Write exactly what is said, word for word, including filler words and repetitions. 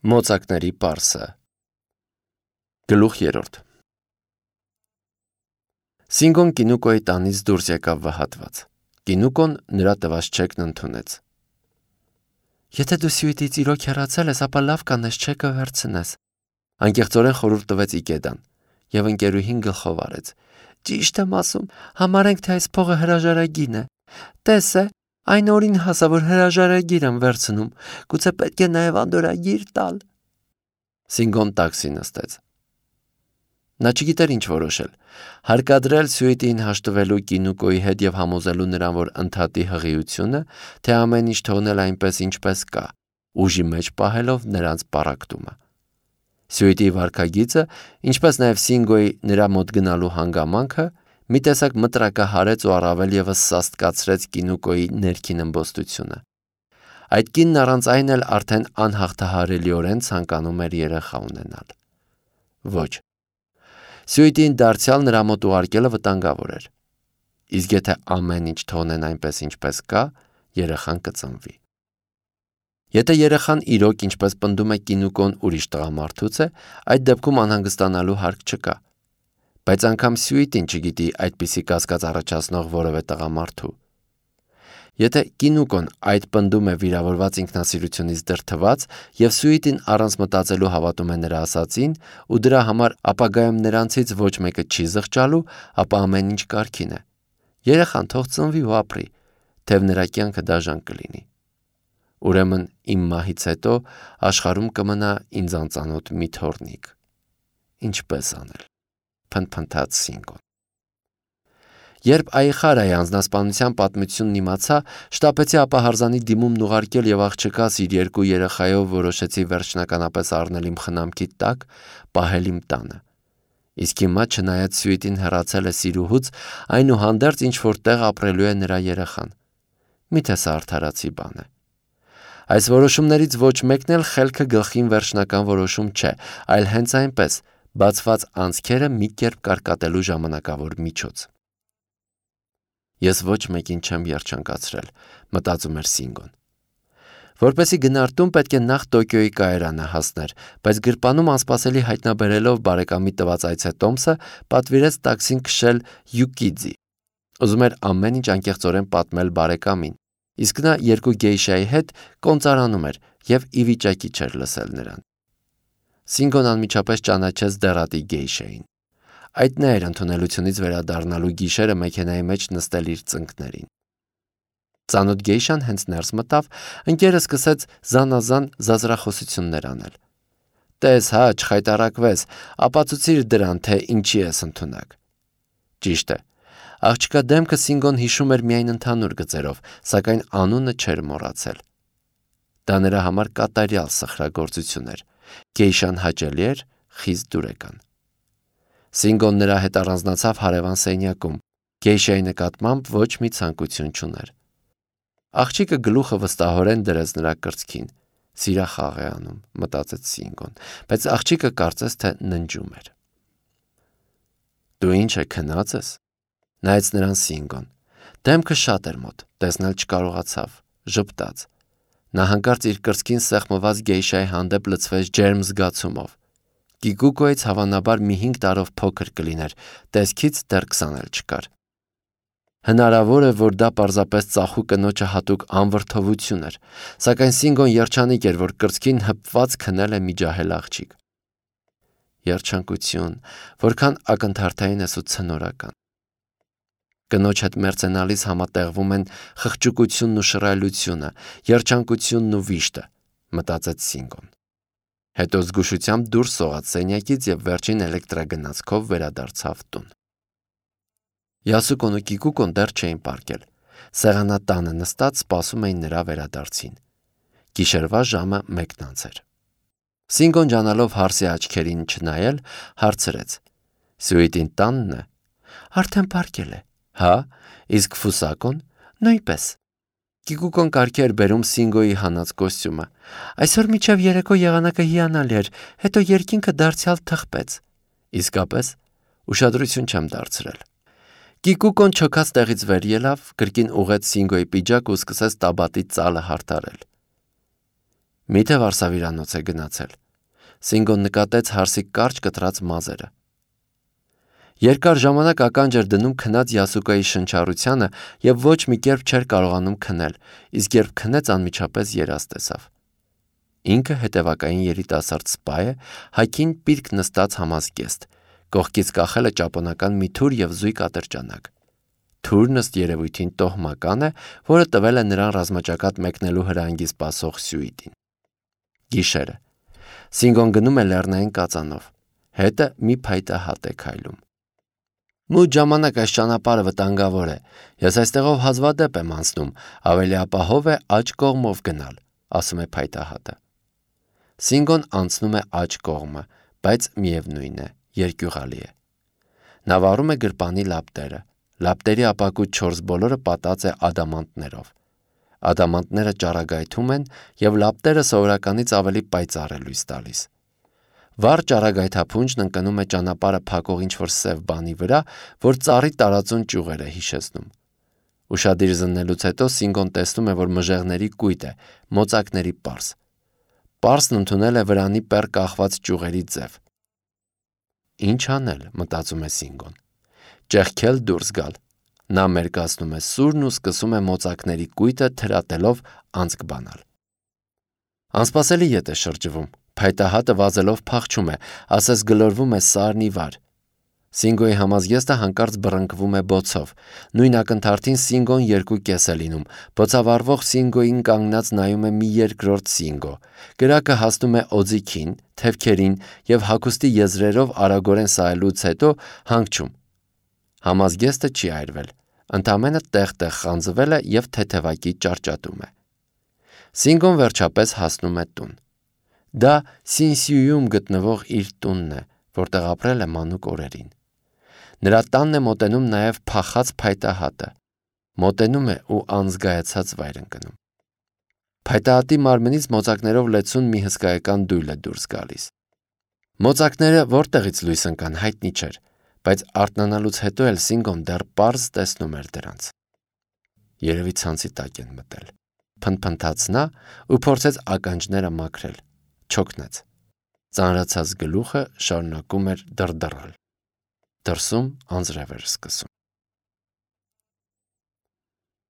Մոծակների պարսը։ Գլուխ երրորդ։ Սինգոն Կինուկոյի տանից դուրս եկավ վհատված։ Կինուկոն նրա տված չեկն ընդունեց։ Եթե դու Սյուիտից իրոք հեռացել ես, ապա լավ կանես չեկը վերցնես։ Անկեղծորեն խորհուրդ տվեց Իգեդան, եւ ընկերուհին գլխով արեց։ Ճիշտ եմ ասում, համարենք, թե այս փողը հրաժարագին է։ Տես է, այն օրին հասա, որ հրաժարագիր եմ վերցնում, գուցե պետք է նաև անդորագիր տալ։ Սինգոն տաքսի նստեց։ Նա չգիտեր ինչ որոշել, հարկադրել Սյուիտին հաշտվելու Կինուկոյի հետ եւ համոզելու նրան, որ ընդհատի հղիությունը, թե ամեն ինչ թողնել այնպես ինչպես կա, ուժի մեջ պահելով նրանց պառակտումը։ Սյուիտի վարքագիծը, ինչպես նաև Սինգոյի նրա մոտ գնալու հանգամանքը մի տեսակ մտրակահարեց ու առավել ևս սաստկացրեց Կինուկոյի ներքին ըմբոստությունը։ Այդ կինն առանց այն էլ արդեն անհաղթահարելիորեն ցանկանում էր երեխա ունենալ։ Ոչ։ Սյուիտին դարձյալ նրա մոտ ուղարկելը վտանգավոր էր։ Իսկ եթե ամեն ինչ թողնեն այնպես ինչպես կա, երեխան կծնվի։ Եթե երեխան իրոք ինչպես պնդում է Կինուկոն ուրիշ տղամարդուց է, այդ դեպքում անհանգստանալու հարկ չկա։ Բայց անգամ Սյուիտին չգիտի այդպիսի կասկած առաջացնող որևէ տղամարդու։ Եթե Կինուկոն այդ պնդում է վիրավորված ինքնասիրությունից դրդված եւ Սյուիտին առանց մտածելու հավատում է նրա ասածին ու դրա համար ապագայում նրանցից ոչ մեկը չի զղջալու, ապա ամեն ինչ կարգին է։ Երեխան թող ծնվի ու ապրի, թեև նրա կյանքը դաժան կլինի։ Ուրեմն իմ մահից հետո աշխարհում կմնա ինձ անծանոթ մի թոռնիկ։ Ինչպես անել, փնթփնթաց Սինգոն։ Երբ Այխարայի անձնասպանության պատմությունն իմացա, շտապեցի ապահարզանի դիմումն ուղարկել եւ աղջկաս իր երկու երեխայով որոշեցի վերջնականապես առնել իմ խնամքի տակ, պահել իմ տանը։ Իսկ հիմա, չնայած Սյուիտին հեռացել է սիրուհուց, այնուհանդերձ ինչ որ տեղ ապրելու է նրա երեխան։ Միթե սա արդարացի բան է։ Այս որոշումներից ոչ մեկն էլ խելքը գլխին վերջնական որոշում չէ, այլ հենց այնպես, բացված անցքերը մի կերպ կարկատելու ժամանակավոր միջոց։ Ես ոչ մեկին չեմ երջանկացրել, մտածում էր Սինգոն։ Որպեսզի գնարտում պետք է նախ Տոկիոյի կայարանը հասներ, բայց գրպանում անսպասելի հայտնաբերելով բարեկամի տված այցետոմսը, պատվիրեց տաքսին քշել Յուկիդզի։ Ուզում էր ամեն ինչ անկեղծորեն պատմել բարեկամին, իսկ նա երկու գեյշայի հետ կոնծարանում էր եւ ի վիճակի չէր լսել նրան։ Սինգոն անմիջապես ճանաչեց դեռատի գեյշային։ Այդ նա էր ընդունելությունից վերադառնալու գիշերը մեքենայի մեջ նստել իր ծնկներին։ Ծանոթ գեյշան հենց ներս մտավ, ընկերը սկսեց զանազան զազրախոսություններ անել։ Տես հա, չխայտարակվես, ապացուցիր դրան, թե ինչի ես ընդունակ։ Ճիշտ է։ Աղջկա դեմքը Սինգոն հիշում էր միայն ընդհանուր գծերով, սակայն անունը չէր մոռացել։ Դա նրա համար կատարյալ սխրագործություն էր։ Գեյշան հաճելի էր, խիստ դուրեկան։ Սինգոն նրա հետ առանձնացավ հարևան սենյակում, գեյշայի նկատմամբ ոչ մի ցանկություն չուներ։ Աղջիկը գլուխը վստահորեն դրեց նրա կրծքին։ Սիրախաղ է անում, մտածեց Սինգոն, բայց աղջիկը կարծես թե ննջում էր։ Դու ինչ է քնած ես։ Նայեց նրան Սինգոն։ Դեմքը շատ էր մոտ, տեսնել չկարողացավ, ժպտաց։ Նա հանկարծ իր կրծքին սեղմված գեյշայի հանդեպ լցվեց ջերմ զգացումով։ Կիկուկոյից հավանաբար մի հինգ տարով փոքր կլիներ, տեսքից դեռ քսան էլ չկար։ Հնարավոր է, որ դա պարզապես ծախու կնոջը հատուկ անվրդովություն էր, սակայն Սինգոն երջանիկ էր, որ կրծքին հպված քնել է մի ջահել աղջիկ։ Երջանկություն, որքան ակնթարթային ես ու ցնորական։ Կնոջ հետ մերձենալիս համատեղվում են խղճուկությունն ու շռայլությունը, երջանկությունն ու վիշտը, մտածեց Սինգոն։ Հետո զգուշությամբ դուրս սողաց սենյակից եւ վերջին էլեկտրագնացքով վերադարձավ տուն։ Յասուկոն ու Կիկուկոն դեռ չէին պառկել։ Սեղանատանը նստած սպասում էին նրա վերադարձին։ Գիշերվա ժամը մեկն անց էր։ Սինգոն ջանալով հարսի աչքերին չնայել, հարցրեց. Սյուիտին տանն է։ Արդեն պառկել է։ Հա, իսկ Ֆուսակոն նույնպես։ Կիկուկոն կարգի էր բերում Սինգոյի հանած կոստյումը։ Այսօր մինչև երեկո եղանակը հիանալի էր, հետո երկինքը դարձյալ թխպեց։ Իսկապես, ուշադրություն չեմ դարձրել։ Կիկուկոն չոքած տեղից վեր ելավ, կրկին ուղեց Սինգոյի պիջակ ու սկսեց տաբատի ծալը հարդարել։ Միթե վարսավիրանոց է գնացել։ Սինգոն նկատեց հարսի կարճ կտրած մազերը։ Երկար ժամանակ ականջ էր դնում քնած Յասուկայի շնչառությանը եւ ոչ մի կերպ չէր կարողանում քնել, իսկ երբ քնեց անմիջապես երազ տեսավ։ Ինքը հետևակային երիտասարդ սպա է, հագին պիրկ նստած համազգեստ, կողքից կախել է ճապոնական մի թուր եւ զույգ ատրճանակ։ Թուրն ըստ երևույթին տոհմական է, որը տվել է նրան ռազմաճակատ մեկնելու հրանգի սպասող Սյուիտին։ Գիշերը։ Սինգոն գնում է լեռնային կածանով։ Հետը մի փայտահատ է քայլում։ Մութ ժամանակ այս ճանապարհը վտանգավոր է։ Ես այստեղով հազվադեպ եմ անցնում, ավելի ապահով է աջ կողմով գնալ, ասում է փայտահատը։ Սինգոն անցնում է աջ կողմը, բայց միևնույն է, երկյուղալի է։ Նա վառում է գրպանի լապտերը։ Լապտերի ապակու չորս բոլորը պատած է ադամանտներով։ Ադամանտները ճառագայթում են եւ լապտերը սովորականից ավելի պայծառ է լույս տալիս։ Վառ ճառագայթափունջն ընկնում է ճանապարհը փակող ինչ-որ սև բանի վրա, որ ծառի տարածուն ճյուղեր է հիշեցնում։ Ուշադիր զննելուց հետո Սինգոն տեսնում է, որ մժեղների կույտ է, մոծակների պարզ։ Պարսն ընդունել է վրանի պեռ կախված ճյուղերի ձև։ Ինչ անել, մտածում է Սինգոն։ Ճեղքել դուրս գալ։ Նա մերկացնում է սուրն ու սկսում է մոծակների կույտը թրատելով անցք բանալ։ Անսպասելի ետ է շրջվում։ Փայտահատը վազելով փախչում է, ասես գլորվում է սարն ի վար։ Սինգոյի համազգեստը հանկարծ բռնկվում է բոցով։ Նույն ակնթարթին Սինգոն երկու կես է լինում։ Բոցավառվող Սինգոյին կանգնած նայում է մի երկրորդ Սինգո։ Կրակը հասնում է օձիքին, թևքերին եւ հագուստի եզրերով արագորեն սայլուց հետո հանգչում։ Համազգեստը չի այրվել։ Ընդամենը տեղ-տեղ խանձվել է եւ թեթևակի ճարճատում է։ Սինգոն վերջապես հասնում է տուն։ Դա Սինսյուում գտնվող իր տունն է, որտեղ ապրել է մանուկ օրերին։ Նրա տանն է մոտենում նաև փախած փայտահատը։ Մոտենում է ու անզգայացած վայր ընկնում։ Փայտահատի մարմնից մոծակներով լեցուն մի հսկայական դույլ է դուրս գալիս։ Մոծակները որտեղից լույս ընկան հայտնի չէր, բայց արթնանալուց հետո էլ Սինգոն դեռ պարզ տեսնում էր դրանց։ Երևի ցանցի տակ են մտել։ Փնփնթաց նա ու փորձեց ականջները մաքրել։ Չոքնեց։ Ծանրացած գլուխը շարունակում էր դրդռալ։ Դրսում անձրև էր սկսում։